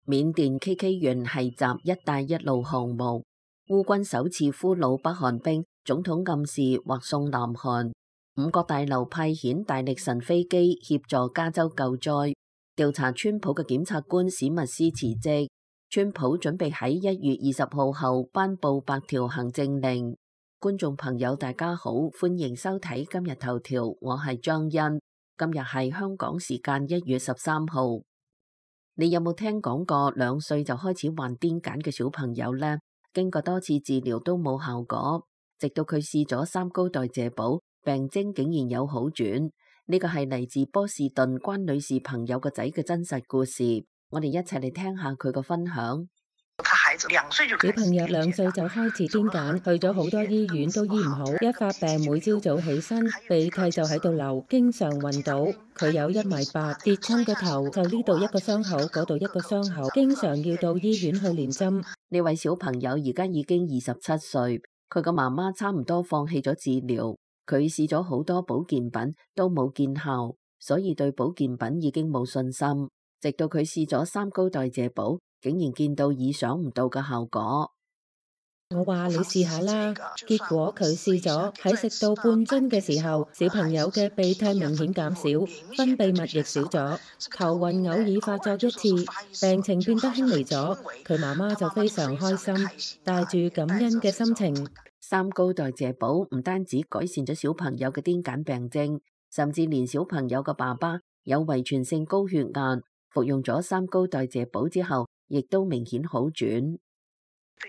緬甸 KK 園係集一帶一路項目，烏軍首次俘虜北韓兵，總統暗示或送南韓。五角大樓派遣大力神飛機協助加州救災。調查川普嘅檢察官史密斯辭職。川普準備喺1月20號後頒布8條行政令。觀眾朋友大家好，歡迎收睇今日頭條，我係張欣。今日係香港時間1月13號。你有冇聽講過2歲就開始患癲癇嘅小朋友呢？經過多次治療都冇效果，直到佢試咗3高代謝補，病徵竟然有好轉。呢個係嚟自波士頓關女士朋友個仔嘅真實故事，我哋一齊嚟聽下佢個分享。小朋友2歲就開始癲癇，去咗好多醫院都醫唔好，一發病每朝早起身鼻涕就喺度流，經常暈倒。佢有1.8米，跌親個頭就呢度一個傷口，嗰度一個傷口，經常要到醫院去連針。呢位小朋友而家已經27歲，佢個媽媽差唔多放棄咗治療，佢試咗好多保健品都冇見效，所以對保健品已經冇信心。直到佢試咗3高代謝補，竟然見到意想唔到嘅效果。我話你試下啦，結果佢試咗，喺食到半樽嘅時候，小朋友嘅鼻涕明顯減少，分泌物亦少咗，頭暈偶爾發作一次，病情變得輕微咗。佢媽媽就非常開心，帶住感恩嘅心情。3高代謝補唔單止改善咗小朋友嘅癲癇病症，甚至連小朋友嘅爸爸有遺傳性高血壓，服用咗3高代謝補之後，亦都明顯好轉。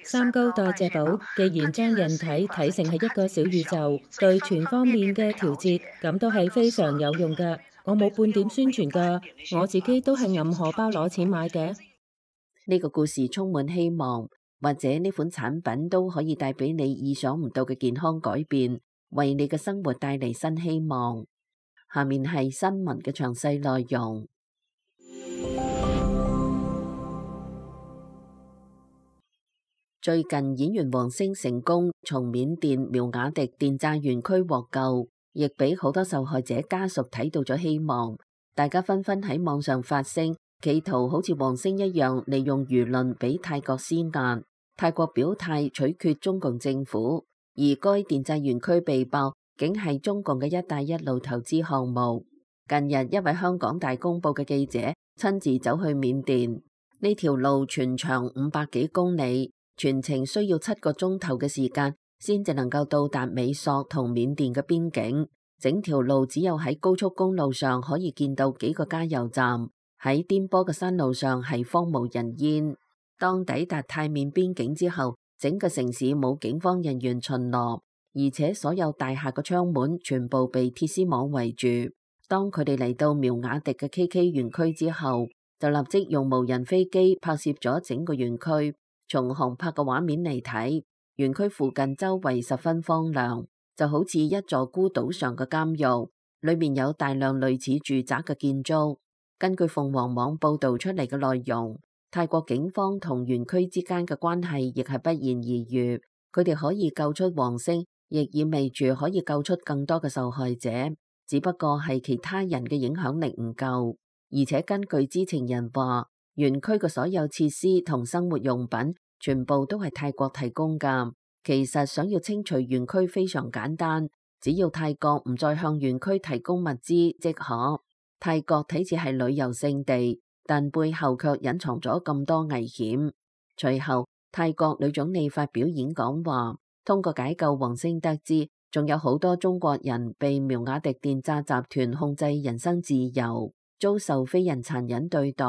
3高代謝補既然將人體睇成係一個小宇宙，對全方面嘅調節，咁都係非常有用㗎。我冇半點宣傳㗎，我自己都係揞荷包攞錢買嘅。呢個故事充滿希望，或者呢款產品都可以帶俾你意想唔到嘅健康改變，為你嘅生活帶嚟新希望。下面係新聞嘅詳細內容。最近演員王星成功從緬甸苗瓦迪電炸園區獲救，亦俾好多受害者家屬睇到咗希望。大家紛紛喺網上發聲，企圖好似王星一樣利用輿論俾泰國施壓。泰國表態取決中共政府，而該電炸園區被爆竟係中共嘅一帶一路投資項目。近日一位香港大公報嘅記者親自走去緬甸，呢條路全長500幾公里。全程需要7個鐘頭嘅時間，先至能夠到達美索同緬甸嘅邊境。整條路只有喺高速公路上可以見到幾個加油站，喺顛簸嘅山路上係荒無人煙。當抵達泰緬邊境之後，整個城市冇警方人員巡邏，而且所有大廈嘅窗門全部被鐵絲網圍住。當佢哋嚟到苗瓦迪嘅 KK 園區之後，就立即用無人飛機拍攝咗整個園區。從航拍嘅畫面嚟睇，園區附近周圍十分荒涼，就好似一座孤島上嘅監獄，裏面有大量類似住宅嘅建築。根據鳳凰網報道出嚟嘅內容，泰國警方同園區之間嘅關係亦係不言而喻。佢哋可以救出王星，亦意味住可以救出更多嘅受害者，只不過係其他人嘅影響力唔夠。而且根據知情人話，園區嘅所有設施同生活用品全部都係泰國提供㗎。其實想要清除園區非常簡單，只要泰國唔再向園區提供物資即可。泰國睇似係旅遊勝地，但背後卻隱藏咗咁多危險。隨後，泰國女總理發表演講話，通過解救王星得知，仲有好多中國人被苗瓦迪電炸集團控制人身自由，遭受非人殘忍對待。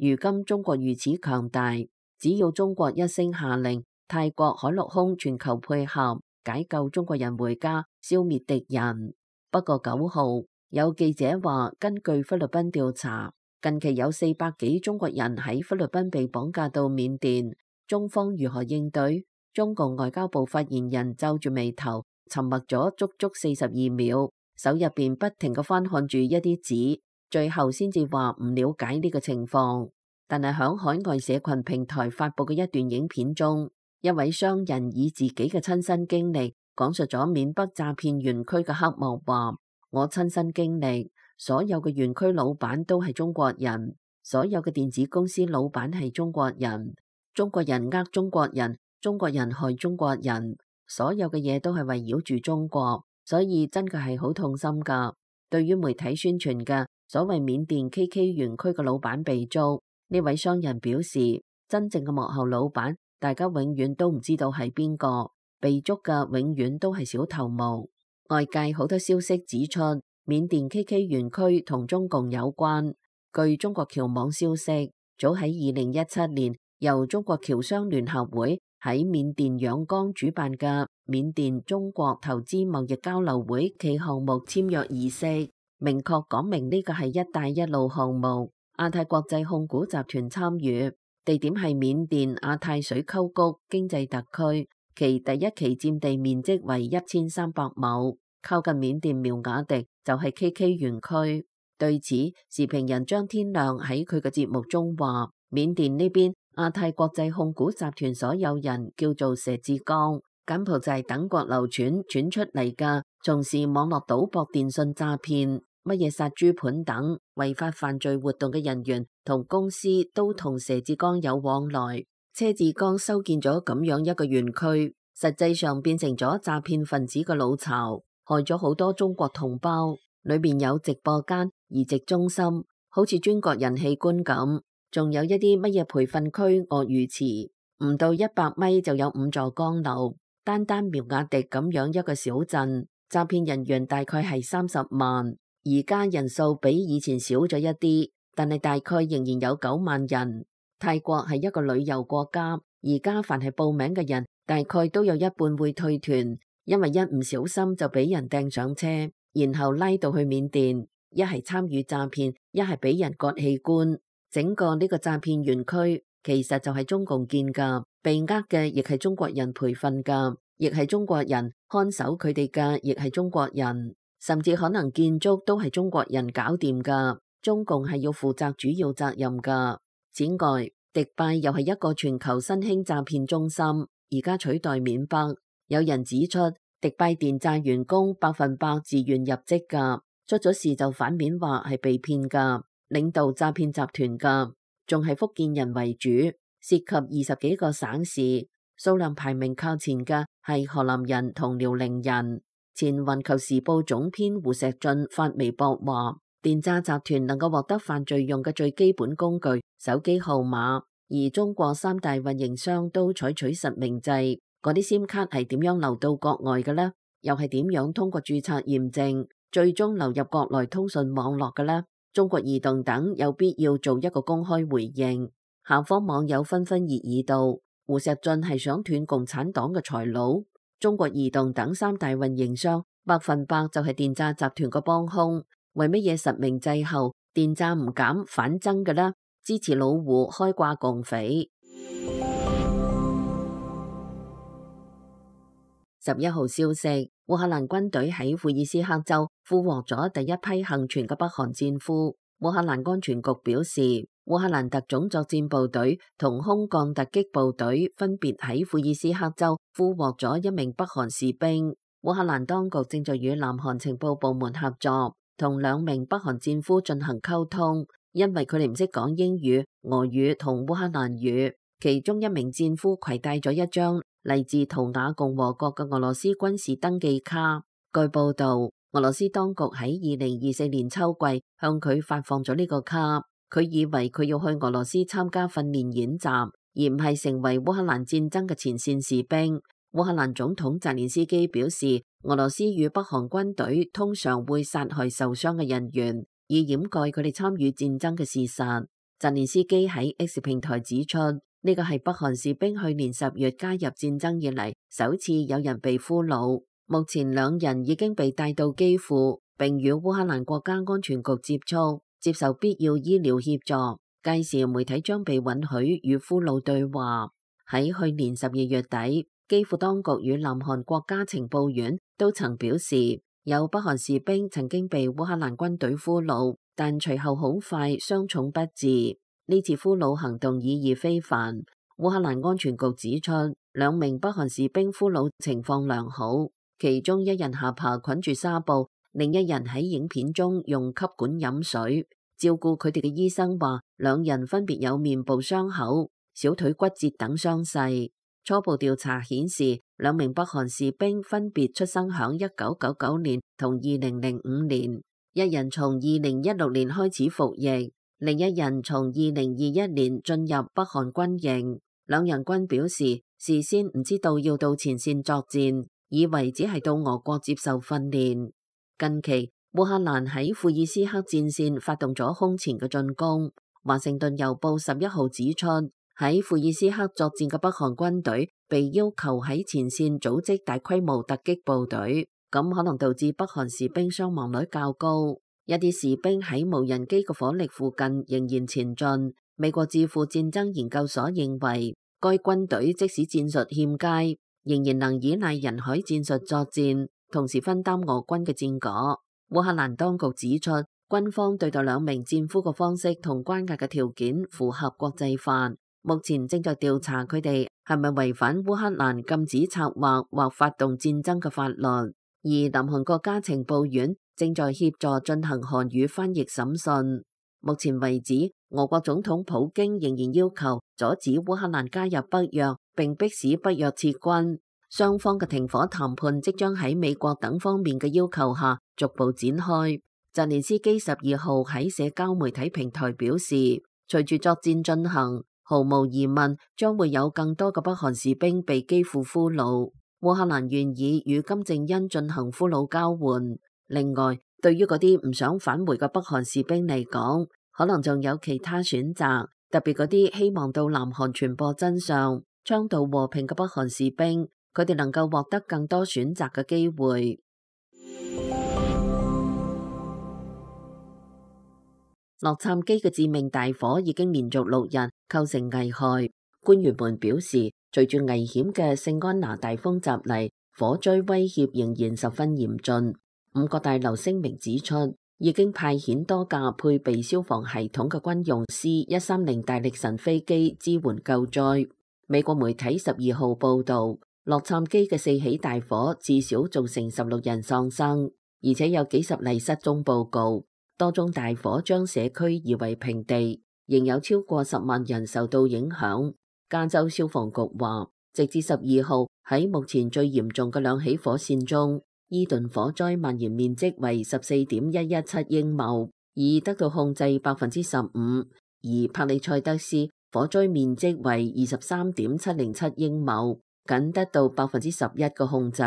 如今中國如此強大，只要中國一聲下令，泰國海陸空全球配合，解救中國人回家，消滅敵人。不過9號有記者話，根據菲律賓調查，近期有400幾中國人喺菲律賓被綁架到緬甸，中方如何應對？中共外交部發言人皺住眉頭，沉默咗足足42秒，手入邊不停咁翻看住一啲紙。最後先至話唔了解呢個情況，但係響海外社群平台發佈嘅一段影片中，一位商人以自己嘅親身經歷講述咗緬北詐騙園區嘅黑幕，話我親身經歷，所有嘅園區老闆都係中國人，所有嘅電子公司老闆係中國人，中國人呃中國人，中國人害中國人，所有嘅嘢都係圍繞住中國，所以真嘅係好痛心噶。對於媒體宣傳嘅所謂緬甸 KK 園區嘅老闆被捉，呢位商人表示，真正嘅幕後老闆，大家永遠都唔知道係邊個，被捉嘅永遠都係小頭目。外界好多消息指出，緬甸 KK 園區同中共有關。據中國僑網消息，早喺2017年，由中國僑商聯合會喺緬甸仰光主辦嘅緬甸中國投資貿易交流會暨項目簽約儀式，明確講明呢個係一帶一路項目，亞太國際控股集團參與，地點係緬甸亞太水溝谷經濟特區，其第一期佔地面積為1300畝，靠近緬甸苗瓦迪就係 KK 園區。對此，時評人張天亮喺佢嘅節目中話，緬甸呢邊亞太國際控股集團所有人叫做佘志剛，柬埔寨等國流傳出嚟嘅，從事網絡賭博、電信詐騙、乜嘢殺豬盤等違法犯罪活動嘅人員同公司都同佘志剛有往來。車志剛修建咗咁樣一個園區，實際上變成咗詐騙分子嘅老巢，害咗好多中國同胞。裏面有直播間、移植中心，好似中國人器官咁，仲有一啲乜嘢培訓區、鱷魚池，唔到100米就有5座江流。單單苗瓦迪咁樣一個小鎮，詐騙人員大概係30萬，而家人數比以前少咗一啲，但係大概仍然有9萬人。泰國係一個旅遊國家，而家凡係報名嘅人，大概都有一半會退團，因為一唔小心就俾人掟上車。然後拉到去緬甸，一係參與詐騙，一係俾人割器官。整個呢個詐騙園區其實就係中共建㗎，被呃嘅亦係中國人培訓㗎，亦係中國人看守佢哋嘅，亦係中國人，甚至可能建築都係中國人搞掂㗎。中共係要負責主要責任㗎。此外，迪拜又係一個全球新興詐騙中心，而家取代緬北。有人指出，迪拜電詐員工100%自願入職㗎，出咗事就反面話係被騙㗎，領導詐騙集團㗎，仲係福建人為主，涉及20幾個省市，數量排名靠前嘅係河南人同遼寧人。前環球時報總編胡錫進發微博話，電詐集團能夠獲得犯罪用嘅最基本工具手機號碼，而中國3大運營商都採取實名制。嗰啲 SIM 卡係點樣流到國外嘅呢？又係點樣通過註冊驗證，最終流入國內通訊網絡嘅呢？中國移動等有必要做一個公開回應。下方網友紛紛熱議道，胡錫進係想斷共產黨嘅財路。中國移動等3大運營商100%就係電詐集團個幫兇。為乜嘢實名制後電詐唔減反增嘅呢？支持老胡開掛共匪。11號消息，烏克蘭軍隊喺庫爾斯克州俘獲咗第一批幸存嘅北韓戰俘。烏克蘭安全局表示，烏克蘭特種作戰部隊同空降突擊部隊分別喺庫爾斯克州俘獲咗1名北韓士兵。烏克蘭當局正在與南韓情報部門合作，同2名北韓戰俘進行溝通，因為佢哋唔識講英語、俄語同烏克蘭語。其中1名戰俘攜帶咗一張嚟自圖瓦共和國嘅俄羅斯軍事登記卡。據報道，俄羅斯當局喺2024年秋季向佢發放咗呢個卡，佢以為佢要去俄羅斯參加訓練演習，而唔係成為烏克蘭戰爭嘅前線士兵。烏克蘭總統澤連斯基表示，俄羅斯與北韓軍隊通常會殺害受傷嘅人員，以掩蓋佢哋參與戰爭嘅事實。澤連斯基喺 X 平台指出，呢個係北韓士兵去年10月加入戰爭以嚟首次有人被俘虜。目前2人已經被帶到基輔，並與烏克蘭國家安全局接觸，接受必要醫療協助。屆時媒體將被允許與俘虜對話。喺去年12月底，基輔當局與南韓國家情報院都曾表示，有北韓士兵曾經被烏克蘭軍隊俘虜，但隨後好快傷重不治。呢次俘虜行動意義非凡。烏克蘭安全局指出，2名北韓士兵俘虜情況良好，其中1人下巴捆住紗布，另1人喺影片中用吸管飲水。照顧佢哋嘅醫生話，兩人分別有面部傷口、小腿骨折等傷勢。初步調查顯示，兩名北韓士兵分別出生響1999年同2005年，一人從2016年開始服役，另一人從2021年進入北韓軍營。兩人均表示，事先唔知道要到前線作戰，以為只係到俄國接受訓練。近期，烏克蘭喺庫爾斯克戰線發動咗空前嘅進攻。華盛頓郵報11號指出，喺庫爾斯克作戰嘅北韓軍隊被要求喺前線組織大規模突擊部隊，咁可能導致北韓士兵傷亡率較高。一啲士兵喺無人機嘅火力附近仍然前進。美國智庫戰爭研究所認為，該軍隊即使戰術欠佳，仍然能依賴人海戰術作戰，同時分擔俄軍嘅戰果。烏克蘭當局指出，軍方對待兩名戰俘嘅方式同關押嘅條件符合國際法，目前正在調查佢哋係咪違反烏克蘭禁止策劃或發動戰爭嘅法律。而南韓國家情報院正在協助進行韓語翻譯審訊。目前為止，俄國總統普京仍然要求阻止烏克蘭加入北約，並迫使北約撤軍。雙方嘅停火談判即將喺美國等方面嘅要求下逐步展開。澤連斯基12號喺社交媒體平台表示，隨住作戰進行，毫無疑問將會有更多嘅北韓士兵被基輔俘虜。烏克蘭願意與金正恩進行俘虜交換。另外，對於嗰啲唔想返回嘅北韓士兵嚟講，可能仲有其他選擇，特別嗰啲希望到南韓傳播真相、倡導和平嘅北韓士兵，佢哋能夠獲得更多選擇嘅機會。洛杉磯嘅致命大火已經連續6日構成危害，官員們表示，隨住危險嘅聖安娜大風襲嚟，火災威脅仍然十分嚴峻。五角大樓聲明指出，已經派遣多架配備消防系統嘅軍用 C-130大力神飛機支援救災。美國媒體12號報導，洛杉磯嘅4起大火至少造成16人喪生，而且有幾十例失蹤報告。多宗大火將社區夷為平地，仍有超過10萬人受到影響。加州消防局話，直至12號喺目前最嚴重嘅2起火線中，伊頓火災蔓延面積為14.117英畝，已得到控制15%，而帕里塞德斯火災面積為23.707英畝，僅得到11%嘅控制。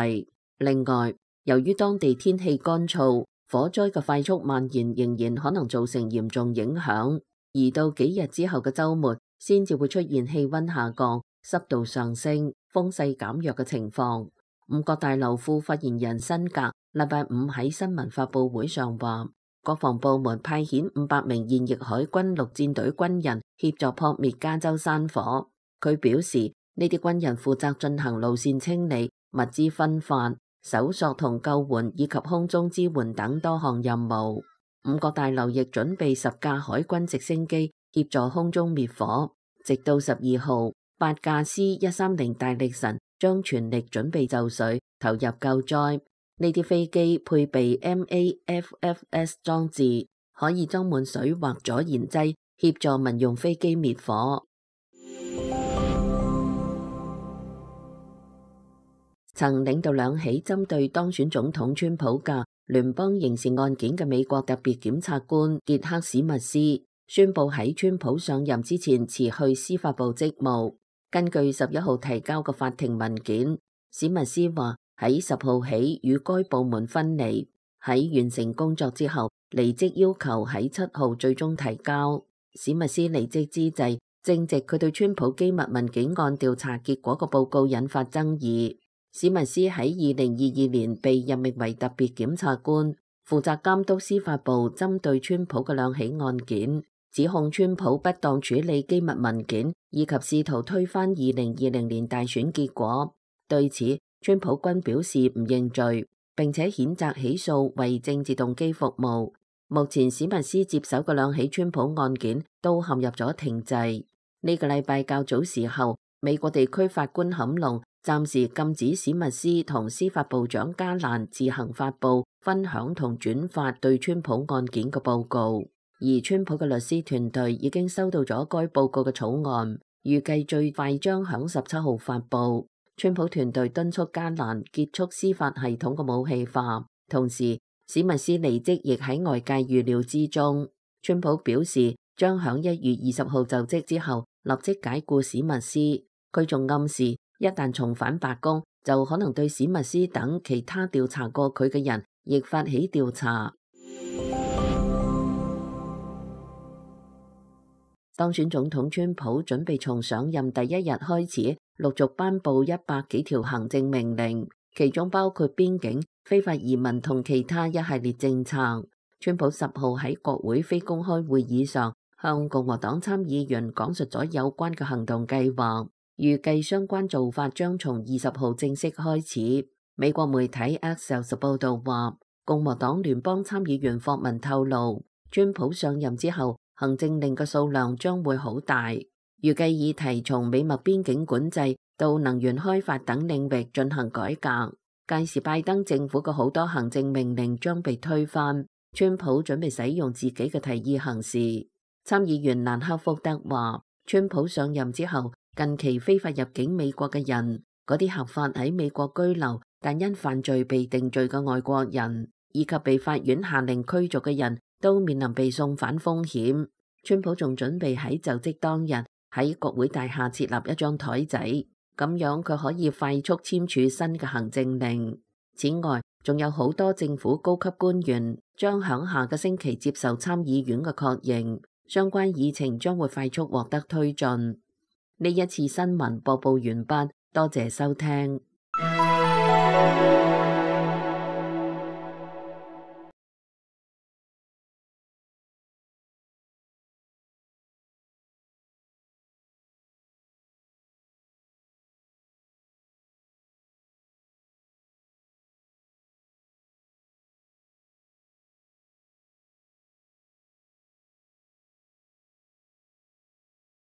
另外，由於當地天氣乾燥，火災嘅快速蔓延仍然可能造成嚴重影響，而到幾日之後嘅週末先至會出現氣溫下降、濕度上升、風勢減弱嘅情況。五角大樓副發言人辛格禮拜五喺新聞發佈會上話，國防部門派遣500名現役海軍陸戰隊軍人協助撲滅加州山火。佢表示，呢啲軍人負責進行路線清理、物資分發、搜索同救援以及空中支援等多項任務。五角大樓亦準備10架海軍直升機協助空中滅火。直到12號，8架 C-130大力神將全力準備就緒，投入救災。呢啲飛機配備 MAFFS 裝置，可以裝滿水或阻燃劑，協助民用飛機滅火。曾領導2起針對當選總統川普嘅聯邦刑事案件嘅美國特別檢察官傑克史密斯宣布喺川普上任之前辭去司法部職務。根據11號提交嘅法庭文件，史密斯話喺10號起與該部門分離，喺完成工作之後離職要求喺7號最終提交。史密斯離職之際，正值佢對川普機密文件案調查結果嘅報告引發爭議。史密斯喺2022年被任命為特別檢察官，負責監督司法部針對川普嘅2起案件，指控川普不當處理機密文件，以及試圖推翻2020年大選結果。對此，川普均表示唔認罪，並且譴責起訴為政治動機服務。目前史密斯接手嘅2起川普案件都陷入咗停滯。呢個禮拜較早時候，美國地區法官坎龍暫時禁止史密斯同司法部長加蘭自行發布、分享同轉發對川普案件嘅報告。而川普嘅律師團隊已經收到咗該報告嘅草案，預計最快將響17號發布。川普團隊敦促加蘭結束司法系統嘅武器化，同時史密斯離職亦喺外界預料之中。川普表示將響1月20號就職之後立即解僱史密斯。佢仲暗示一旦重返白宮，就可能對史密斯等其他調查過佢嘅人亦發起調查。當選總統川普準備從上任第一日開始陸續頒布100幾條行政命令，其中包括邊境、非法移民同其他一系列政策。川普10號喺國會非公開會議上向共和黨參議員講述咗有關嘅行動計劃，預計相關做法將從20號正式開始。美國媒體 Axios 報道話，共和黨聯邦參議員霍文透露，川普上任之後行政令嘅數量將會好大，預計議題從美墨邊境管制到能源開發等領域進行改革。屆時拜登政府嘅好多行政命令將被推翻，川普準備使用自己嘅提議行事。參議員蘭克福德話，川普上任之後，近期非法入境美國嘅人，嗰啲合法喺美國居留但因犯罪被定罪嘅外國人，以及被法院下令驅逐嘅人，都面臨被送返風險。川普仲準備喺就職當日喺國會大廈設立一張台仔，咁樣佢可以快速簽署新嘅行政令。此外，仲有好多政府高級官員將響下個星期接受參議院嘅確認，相關議程將會快速獲得推進。呢一次新聞播報完畢，多謝收聽。